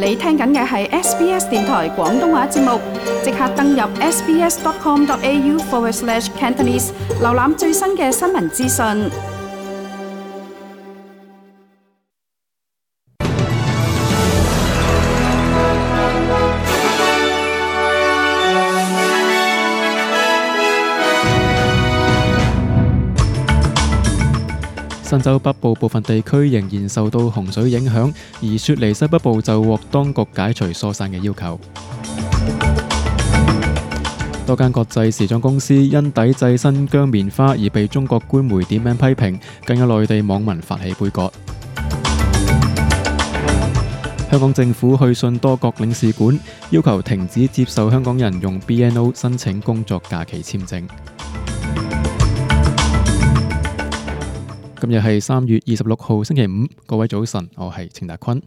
你聽緊嘅係 SBS 電台廣東話節目，即刻登入 sbs.com.au/Cantonese 瀏覽最新嘅新聞資訊。新州北部部分地區仍然受到洪水影響，而雪梨西北部就獲當局解除疏散嘅要求。多間國際時裝公司因抵制新疆棉花而被中國官媒點名批評，更有內地網民發起杯葛。香港政府去信多國領事館，要求停止接受香港人用 BNO 申請工作假期簽證。今日係3月26號星期五，各位早晨，我係程達坤。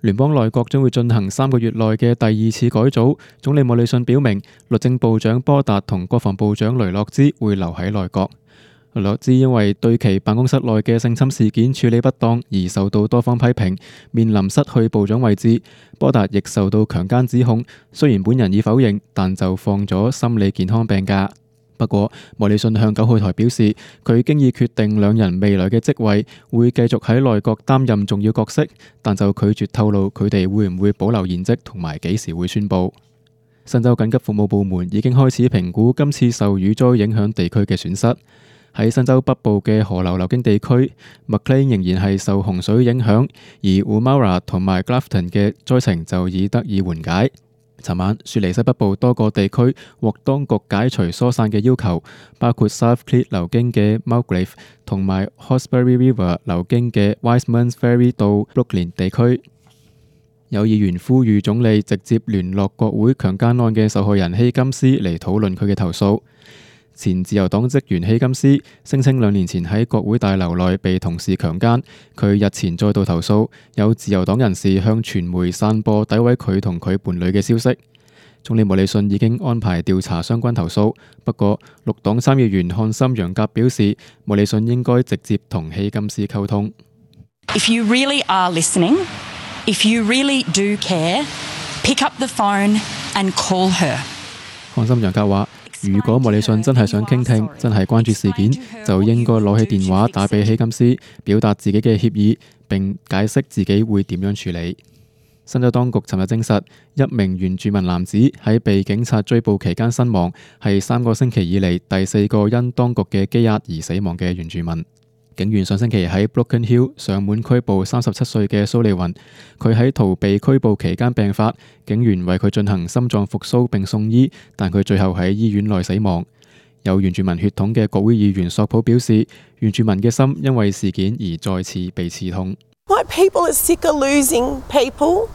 聯邦內閣將會進行3個月內嘅第2次改組，總理莫里遜表明，律政部長波達同國防部長雷諾茲會留喺內閣。雷諾茲因為對其辦公室內嘅性侵事件處理不當而受到多方批評，面臨失去部長位置。波達亦受到強姦指控，雖然本人已否認，但就放咗心理健康病假。不過，莫里遜向9號台表示，佢經已決定兩人未來嘅職位，會繼續喺內閣擔任重要角色，但就拒絕透露佢哋會唔會保留現職同埋幾時會宣佈。新州緊急服務部門已經開始評估今次受雨災影響地區嘅損失。喺新州北部嘅河流流經地區，Maclean 仍然係受洪水影響，而 Woomera 同埋 Grafton 嘅災情就已得以緩解。尋晚，雪梨西北部多個地區獲當局解除疏散嘅要求，包括 South Clyde 流經嘅 Mulgrave 同埋 Hawkesbury River 流經嘅 Wiseman's Ferry 到 Brooklyn 地區。有議員呼籲總理直接聯絡國會強姦案嘅受害人希金斯嚟討論佢嘅投訴。前自由黨職員希金斯聲稱2年前喺國會大樓內被同事強姦，佢日前再度投訴，有自由黨人士向傳媒散播詆毀佢同佢伴侶嘅消息。總理莫里遜已經安排調查相關投訴，不過綠黨參議員漢森楊格表示，莫里遜應該直接同希金斯溝通。If you really are listening, if you really do care, pick up the phone and call her。漢森楊格話，如果莫里遜真係想傾聽，真係關注事件，就應該攞起電話打俾希金斯，表達自己嘅歉意，並解釋自己會點樣處理。新州當局尋日證實，一名原住民男子喺被警察追捕期間身亡，係3個星期以嚟第4個因當局嘅羈押而死亡嘅原住民。警員上星期喺 Broken Hill 上門拘捕37歲嘅蘇利雲，佢喺逃避拘捕期間病發，警員為佢進行心臟復甦並送醫，但佢最後喺醫院內死亡。有原住民血統嘅國會議員索普表示，原住民嘅心因為事件而再次被刺痛。My people are sick of losing people.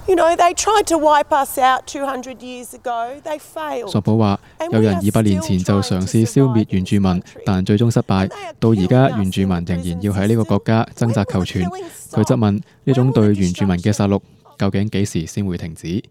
You know, they tried to wipe us out 200 years ago. They failed. 索普話，有人200年前就嘗試消滅原住民，但最終失敗。到而家，原住民仍然要喺呢個國家掙扎求存。佢質問，呢種對原住民嘅殺戮究竟幾時先會停止？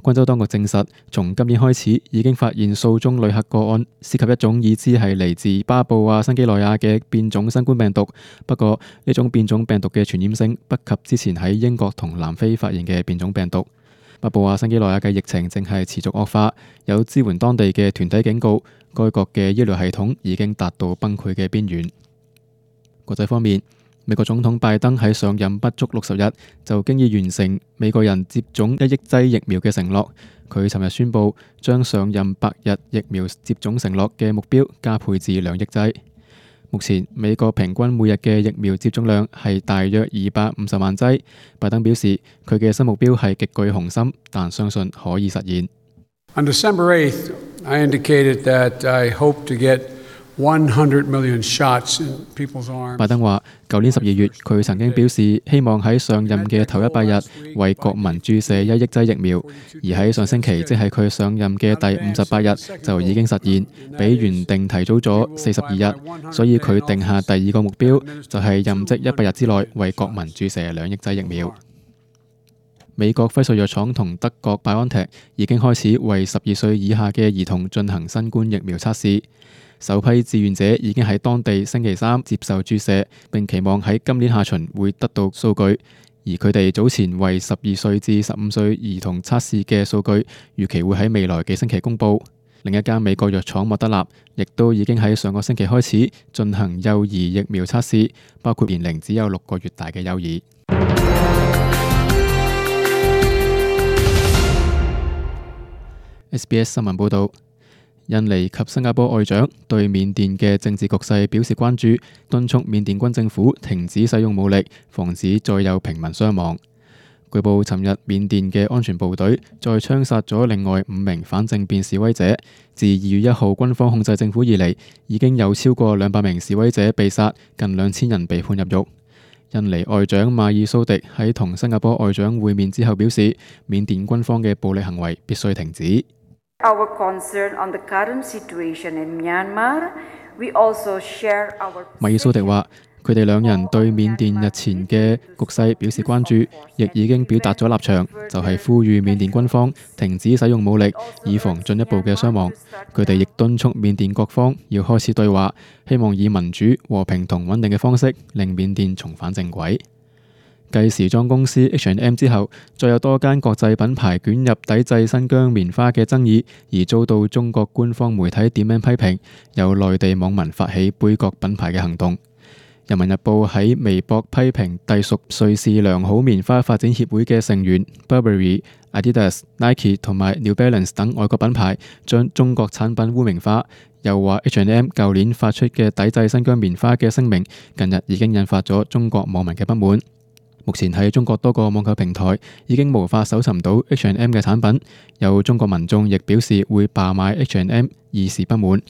昆州當局證實，從今年開始已經發現數宗旅客個案，涉及一種已知係嚟自巴布亞新幾內亞嘅變種新冠病毒。不過，呢種變種病毒嘅傳染性不及之前喺英國同南非發現嘅變種病毒。巴布亞新幾內亞嘅疫情正係持續惡化，有支援當地嘅團體警告，該國嘅醫療系統已經達到崩潰嘅邊緣。國際方面，美國總統拜登喺上任不足60日就經已完成美國人接種1億劑疫苗嘅承諾。佢尋日宣布將上任100日疫苗接種承諾嘅目標加倍至2億劑。目前美國平均每日嘅疫苗接種量係大約250萬劑。拜登表示佢嘅新目標係極具雄心，但相信可以實現。On December 8th, I indicated that I hope to get 100 million shots in people's arms. 拜登話，舊年12月佢曾經表示希望喺上任嘅頭100日為國民注射1億劑疫苗，而喺上星期，即係佢上任嘅第58日就已經實現，比原定提早咗42日，所以佢定下第2個目標，就係任職100日之內為國民注射2億劑疫苗。美國輝瑞藥廠同德國 BioNTech 已經開始為12歲以下嘅兒童進行新冠疫苗測試。首批志願者已經喺當地星期3接受注射，並期望喺今年下旬會得到數據。而佢哋早前為12歲至15歲兒童測試嘅數據，預期會喺未來幾星期公佈。另一間美國藥廠莫德納亦都已經喺上個星期開始進行幼兒疫苗測試，包括年齡只有6個月大嘅幼兒。SBS 新聞報導，印尼及新加坡外長對緬甸嘅政治局勢表示關注，敦促緬甸軍政府停止使用武力，防止再有平民傷亡。據報，尋日緬甸嘅安全部隊再槍殺咗另外5名反政變示威者。自2月1號軍方控制政府以嚟，已經有超過200名示威者被殺，近2000人被判入獄。印尼外長馬爾蘇迪喺同新加坡外長會面之後表示，緬甸軍方嘅暴力行為必須停止。Our concern on the current situation in Myanmar, we also share our. 馬爾蘇迪話：佢哋兩人對緬甸日前嘅局勢表示關注，亦已經表達咗立場，就係呼籲緬甸軍方停止使用武力，以防進一步嘅傷亡。佢哋亦敦促緬甸各方要開始對話，希望以民主、和平同穩定嘅方式令緬甸重返正軌。繼時裝公司 H&M 之後，再有多間國際品牌捲入抵制新疆棉花嘅爭議，而遭到中國官方媒體點名批評，有內地網民發起杯葛品牌嘅行動。人民日報喺微博批評隸屬瑞士良好棉花發展協會嘅成員 Burberry、Adidas、Nike 同埋 New Balance 等外國品牌將中國產品污名化，又話 H&M 舊年發出嘅抵制新疆棉花嘅聲明，近日已經引發咗中國網民嘅不滿。目前喺中國多個網購平台已經無法搜尋到 H&M 嘅產品，有中國民眾亦表示會罷買 H&M， 以示不滿。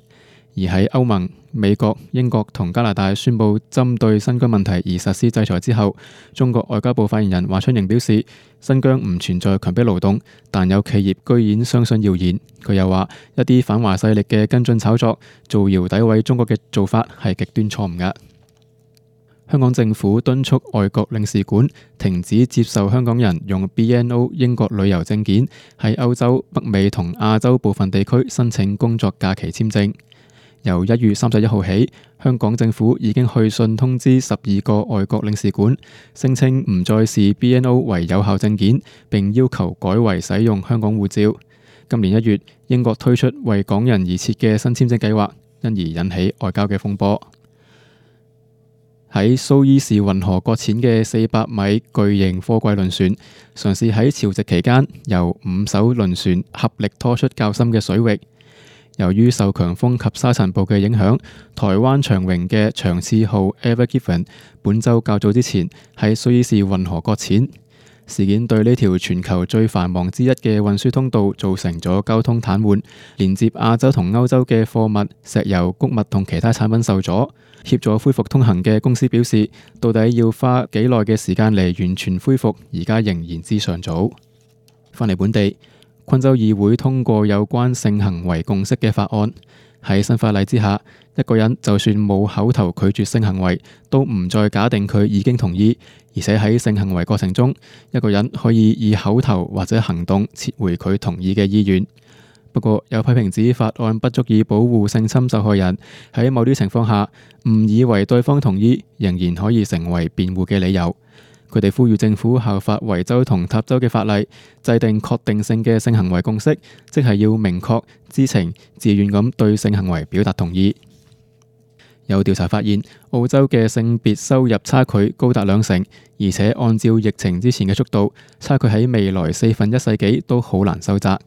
而喺歐盟、美國、英國同加拿大宣布針對新疆問題而實施制裁之後，中國外交部發言人華春瑩表示，新疆唔存在強迫勞動，但有企業居然相信謠言。佢又話，一啲反華勢力嘅跟進炒作、造謠詆毀中國嘅做法係極端錯誤㗎。香港政府敦促外國領事館停止接受香港人用 BNO 英國旅遊證件喺歐洲、北美同亞洲部分地區申請工作假期簽證。由1月31號起，香港政府已經去信通知12個外國領事館，聲稱唔再視 BNO 為有效證件，並要求改為使用香港護照。今年1月，英國推出為港人而設嘅新簽證計劃，因而引起外交嘅風波。喺蘇伊士運河擱淺嘅400米巨型貨櫃輪船，嘗試喺潮汐期間由5艘輪船合力拖出較深嘅水域。由於受強風及沙塵暴嘅影響，台灣長榮嘅長賜號 Ever Given 本週較早之前喺蘇伊士運河擱淺。事件對呢條全球最繁忙之一嘅運輸通道造成咗交通癱瘓，連接亞洲同歐洲嘅貨物、石油、穀物同其他產品受阻。協助恢復通行嘅公司表示，到底要花幾耐嘅時間嚟完全恢復，而家仍然之尚早。返嚟本地，昆州議會通過有關性行為共識嘅法案。喺新法例之下，一個人就算冇口頭拒絕性行為，都唔再假定佢已經同意，而且喺性行為過程中，一個人可以以口頭或者行動撤回佢同意嘅意願。不過有批評指法案不足以保護性侵受害人，喺某啲情況下，誤以為對方同意，仍然可以成為辯護嘅理由。佢哋呼籲政府效法維州同塔州嘅法例，制定確定性嘅性行為共識，即係要明確、知情、自願咁對性行為表達同意。有調查發現，澳洲嘅性別收入差距高達20%，而且按照疫情之前嘅速度，差距喺未來1/4世紀都好難收窄。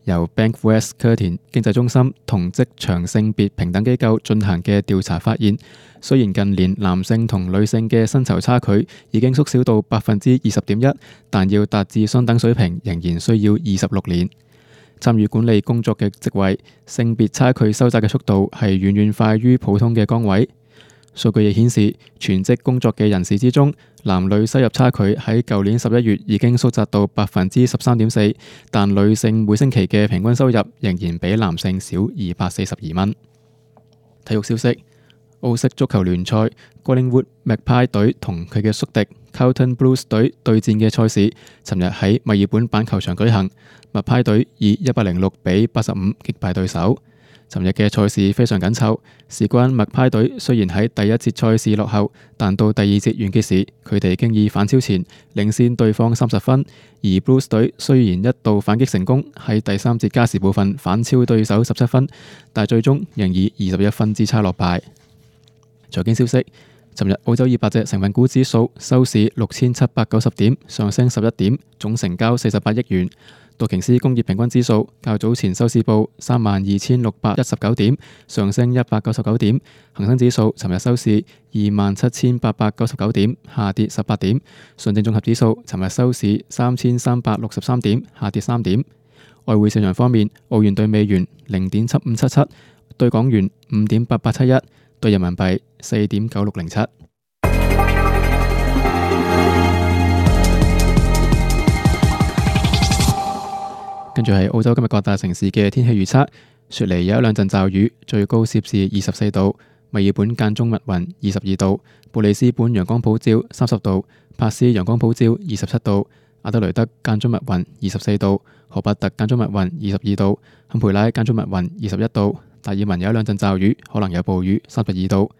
由 Bankwest Curtin 經濟中心同職場性別平等機構進行嘅調查發現，雖然近年男性同女性嘅薪酬差距已經縮小到20.1%，但要達至相等水平仍然需要26年。參與管理工作嘅職位，性別差距收窄嘅速度係遠遠快於普通嘅崗位。數據亦顯示，全職工作嘅人士之中，男女收入差距喺舊年11月已經縮窄到13.4%，但女性每星期嘅平均收入仍然比男性少242蚊。體育消息：澳式足球聯賽 Collingwood Magpie 隊同佢嘅宿敵 Carlton Blues 隊對戰嘅賽事，尋日喺墨爾本板球場舉行。Magpie 隊以106比85擊敗對手。尋日嘅賽事非常緊湊，事關麥派隊雖然喺第一節賽事落後，但到第二節完結時，佢哋經已反超前，領先對方30分。而 Blues 隊雖然一度反擊成功，喺第三節加時部分反超對手17分，但最終仍以21分之差落敗。財經消息，尋日澳洲200隻成分股指數收市6790點，上升11點，總成交48億元。道瓊斯工業平均指數較早前收市報32619點，上升199點。恒生指數尋日收市27899點，下跌18點。上證綜合指數尋日收市3363點，下跌3點。外匯市場方面，澳元對美元0.7577，對港元5.8871，對人民幣4.9607。跟住係澳洲今日各大城市嘅天氣預測：雪梨有一兩陣驟雨，最高攝氏24度；墨爾本間中密雲22度；布里斯本陽光普照30度；珀斯陽光普照27度；阿德雷德間中密雲24度；荷伯特間中密雲22度；坎培拉間中密雲21度；達爾文有一兩陣驟雨，可能有暴雨32度。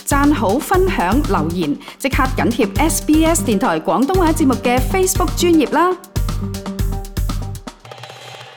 讚好、分享、留言，即刻緊貼SBS 電台廣東話節目嘅 Facebook 專頁啦！